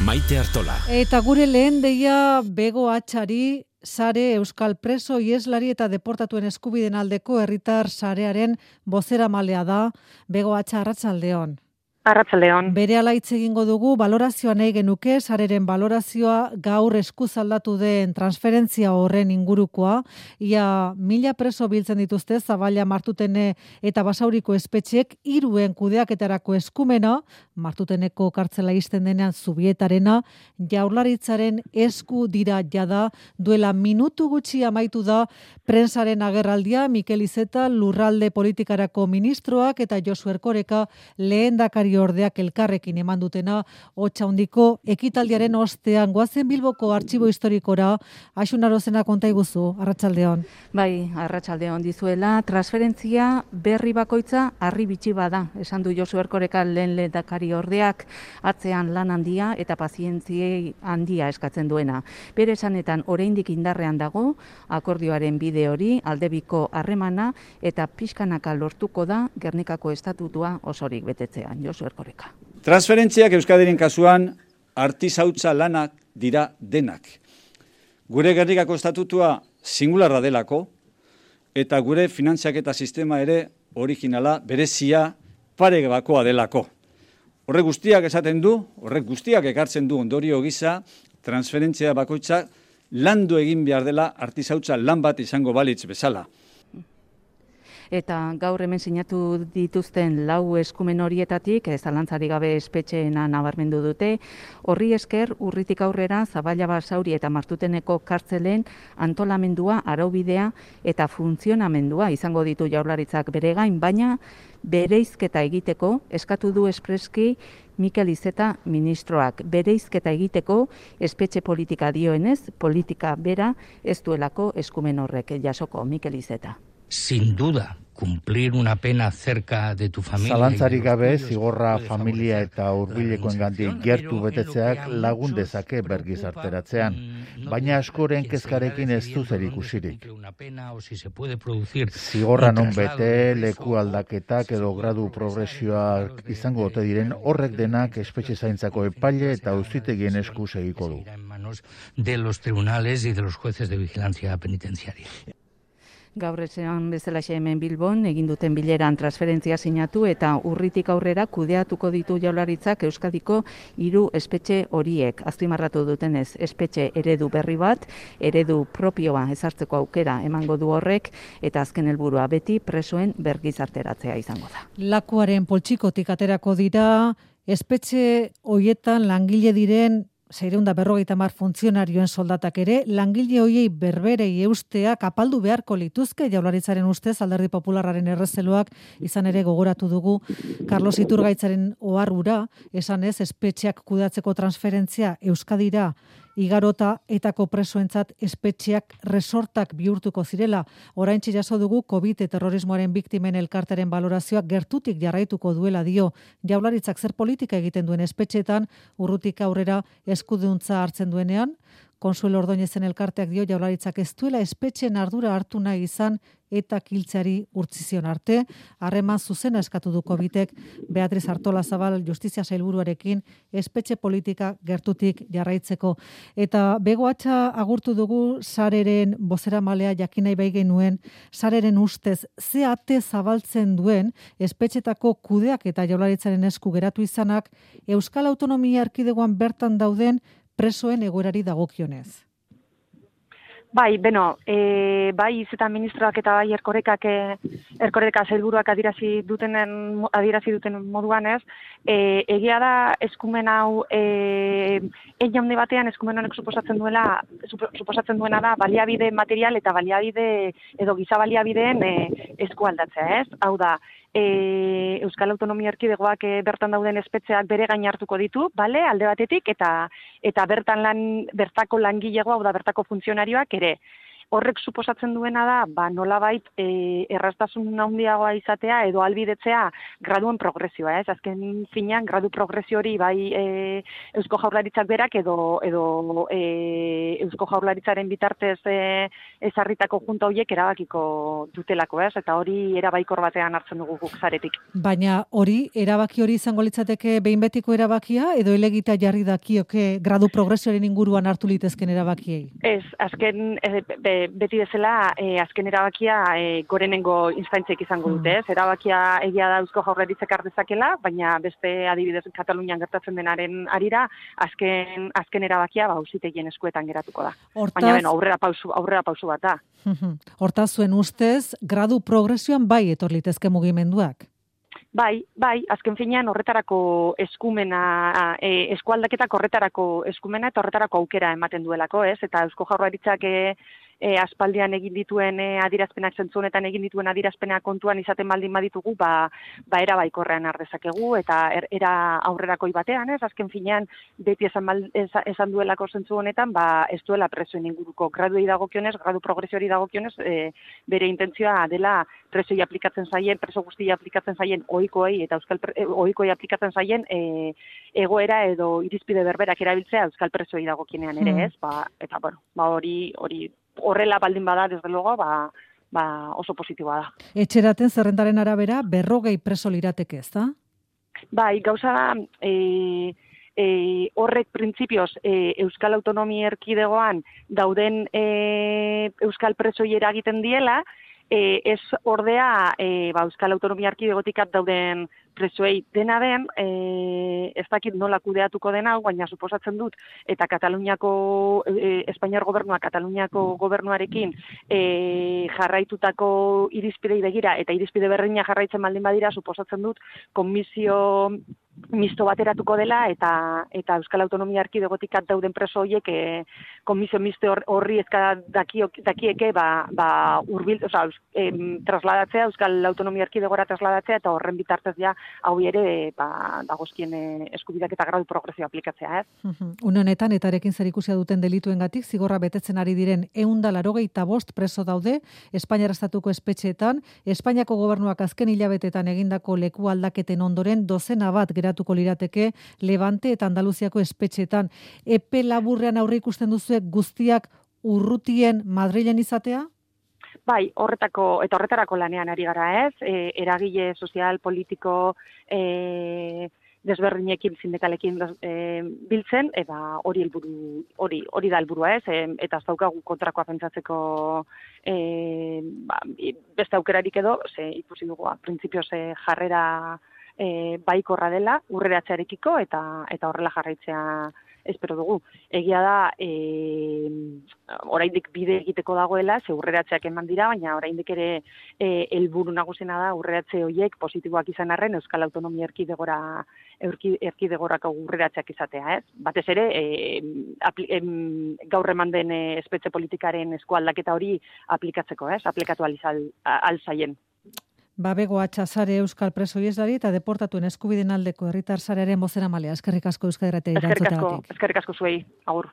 Maite Artola. Eta gure lehen deia Bego Atxari, sare Euskal Preso, ieslari eta deportatuen eskubiden aldeko herritar sarearen bozeramalea da. Bego Atxa, arratsaldeon. Arratsaldeon. Berehala hitz egingo dugu, balorazioa nahi genuke, sareren balorazioa gaur eskuz aldatu den transferentzia horren ingurukoa. Ia 1000 preso biltzen dituzte Zaballa, Martutene eta Basauriko espetxeek 3 kudeaketarako eskumena, Martuteneko kartzela ixten denean Zubietarena, Jaurlaritzaren esku dira jada. Duela minutu gutxi amaitu da prensaren agerraldia, Mikel Iceta lurralde politikarako ministroak eta Josu Erkoreka lehendakari ordeak elkarrekin eman dutena hotsa handiko ekitaldiaren ostean. Goazen Bilboko Artxibo Historikora, Axun Arozena konta iguzu, arratsaldeon. Bai, arratsaldeon dizuela, transferentzia berri bakoitza harri bitxi bada, esan du Josu Erkoreka lehendakari ordeak, atzean lan handia eta pazientziei handia eskatzen duena. Bere esanetan oraindik indarrean dago akordioaren bide hori, aldebiko harremana eta pixkanaka lortuko da Gernikako estatutua osorik betetzean. Josu Erkoreka. Transferentziak Euskadiren kasuan artisautza lanak dira denak. Gure Gernikako estatutua singularra delako eta gure finantziaketa sistema ere originala, berezia, paregabakoa delako. Horrek guztiak esaten du, horrek guztiak ekartzen du ondorio gisa, transferentzia bakoitza landu egin behar dela artisautza lan bat izango balitz bezala. Eta gaur hemen sinatu dituzten 4 eskumen horietatik, zalantzarik gabe espetxeena nabarmendu dute, horri esker urritik aurrera Zaballa, Basauri eta Martuteneko kartzelen antolamendua, araubidea eta funtzionamendua izango ditu Jaurlaritzak bere gain, baina bereizketa egiteko eskatu du espreski Mikel Iceta ministroak. Bereizketa egiteko espetxe politika dioenez, politika bera ez duelako eskumen horrek jasoko. Mikel Iceta. Sin duda, cumplir una pena cerca de tu familia. Zalantzarik gabe, zigorra familia eta hurbilekoengandik gertu betetzeak lagun dezake bergizarteratzean, baina askoren kezkarekin ez du zerikusirik. Zigorra non bete, leku aldaketak edo gradu progresioak izango ote diren, horrek denak espetxe zaintzako epaile eta auzitegien esku segiko du. De los tribunales y de los jueces de vigilancia penitenciaria. Gaur esan bezalaxe hemen Bilbon egin duten bileran transferentzia sinatu eta urritik aurrera kudeatuko ditu Jaurlaritzak Euskadiko 3 espetxe horiek. Azpimarratu dutenez, espetxe eredu berri bat, eredu propioa ezartzeko aukera emango du horrek eta azken helburua beti presoen bergizarteratzea izango da. Lakuaren poltsikotik aterako dira, espetxe hoietan langile diren 650 funtzionarioen soldatak ere, langile hoiei berberei eustea kapaldu beharko lituzke. Jaurlaritzaren ustez Alderdi Popularraren errezeloak izan ere gogoratu dugu Carlos Iturgaitzaren oharrura, esan ez, espetxeak kudeatzeko transferentzia Euskadira igarota etako presoentzat espetxeak resortak bihurtuko zirela. Oraintxe jaso dugu COVID terrorismoaren biktimen elkarteren balorazioak gertutik jarraituko duela dio. Jaurlaritzak zer politika egiten duen espetxeetan urrutik aurrera eskuduntza hartzen duenean? Konsuelo Ordoñezen elkarteak dio Jaurlaritzak ez duela espetxeen ardura hartu nahi izan eta kiltzeari urtzizion arte. Harreman zuzena eskatu du COVIDek Beatriz Artolazabal Justizia Sailburuarekin espetxe politika gertutik jarraitzeko. Eta Bego Atxa agurtu dugu sareren bozeramalea jakin nahi bai genuen, sareren ustez ze ate zabaltzen duen espetxetako kudeak eta Jaurlaritzaren esku geratu izanak Euskal Autonomia Erkidegoan bertan dauden presoen egoerari dagokionez. Bai, bai Iceta ministroak eta bai Erkoreka sailburuak adierazi duten moduan ez, egia da eskumen hau handi batean eskumen honek suposatzen duena da baliabide material eta baliabide edo giza baliabideen eskualdatzea, ez? Hau da, Euskal Autonomia Erkidegoak bertan dauden espetxeak bere gain hartuko ditu, bale, alde batetik, eta bertako langilegoa, hau da bertako funtzionarioak ere. horrek suposatzen duena da, nolabait erraztasun handiagoa izatea edo albidetzea graduen progresioa, ez? Azken finean, gradu progresio hori bai Eusko Jaurlaritzak berak edo Eusko Jaurlaritzaren bitartez ezarritako junta horiek erabakiko dutelako, ez? Eta hori erabaikor batean hartzen dugu guk zaretik. Baina erabaki hori izango litzateke behin betiko erabakia edo elegita jarri dakioke gradu progresioaren inguruan hartu litezken erabakiei? Ez, azken beti bezala azken erabakia gorenengo instantziek izango dute, ez? Erabakia egia da Eusko Jaurlaritzak ardezakela, baina beste adibidez Katalunian gertatzen denaren arira azken erabakia auzitegien eskuetan geratuko da. Baina aurrera pausu bat da. Hortaz zuen ustez gradu progresioan bai etor litezke mugimenduak. Bai, azken finean horretarako eskumena, eskualdaketak horretarako eskumena eta horretarako aukera ematen duelako, ez? Eta Eusko Jaurlaritzak aspaldian egin dituen adierazpenak zentzu honetan egin dituen adierazpenak kontuan izaten baldin baditugu, era baikorrean ardezakegu eta era aurrerakoi batean, ez? Azken finean beti esan duelako zentzu honetan, ez duela presoen inguruko graduei dagokionez, gradu progresiori dagokionez, bere intentzioa dela preso guztiei aplikatzen zaien ohikoei eta ohikoei aplikatzen zaien egoera edo irizpide berberak erabiltzea euskal presoei dagokienean ere, ez? Eta hori horrela baldin bada, desde luego, oso positiboa da. Etxeraten zerrendaren arabera 40 preso lirateke, ez da? Bai, gauza da, horrek printzipioz Euskal Autonomia Erkidegoan dauden euskal presoi eragiten diela, ez ordea Euskal Autonomia Erkidegotik dauden presoei dena den, ez dakit nola kudeatuko den hau, baina suposatzen dut, eta Kataluniako, Espainiar gobernua Kataluniako gobernuarekin jarraitutako irizpidei begira, eta irizpide berdina jarraitzen baldin badira, suposatzen dut, komisio misto bateratuko dela, eta Euskal Autonomia Erkidegotik dauden preso horiek komisio misto horri ezka dakieke urbil, trasladatzea, Euskal Autonomia Erkidegora trasladatzea, eta horren bitartez ja hau ere dagozkien eskubideak eta gradu progresio aplikatzea, ez? Une honetan, etarekin zerikusia duten delituengatik zigorra betetzen ari diren 185 preso daude Espainiar estatuko espetxeetan, Espainiako gobernuak azken hilabetetan egindako leku aldaketen ondoren dozena bat geratuko lirateke Levante eta Andaluziako espetxeetan. Epe laburrean aurre ikusten duzue guztiak urrutien Madrilen izatea? Bai, horretarako lanean ari gara, ez? Eragile sozial, politiko, desberdinekin, sindikalekin biltzen, eta hori da helburua, ez? Eta ez daukagu kontrakoa pentsatzeko beste aukerarik edo, ikusi dugu, printzipioz jarrera baikorra dela, urreratzearekiko, eta horrela jarraitzea espero dugu. Egia da, oraindik bide egiteko dagoela, ze urreratzeak eman dira, baina oraindik ere helburu nagusiena da urreratze horiek positiboak izan arren Euskal Autonomia Erkidegorako urreratzeak izatea, ez? Batez ere, gaur eman den espetxe politikaren eskualdaketa hori aplikatzeko, ez? Aplikatu alzaien. Babego Atxasare Euskal Preso Ieslari eta deportatuen eskubideen aldeko herritar sarearen bozeramalea. Eskerrik asko Euskal Irratia erantzutagatik. Eskerrik asko zuei, agur.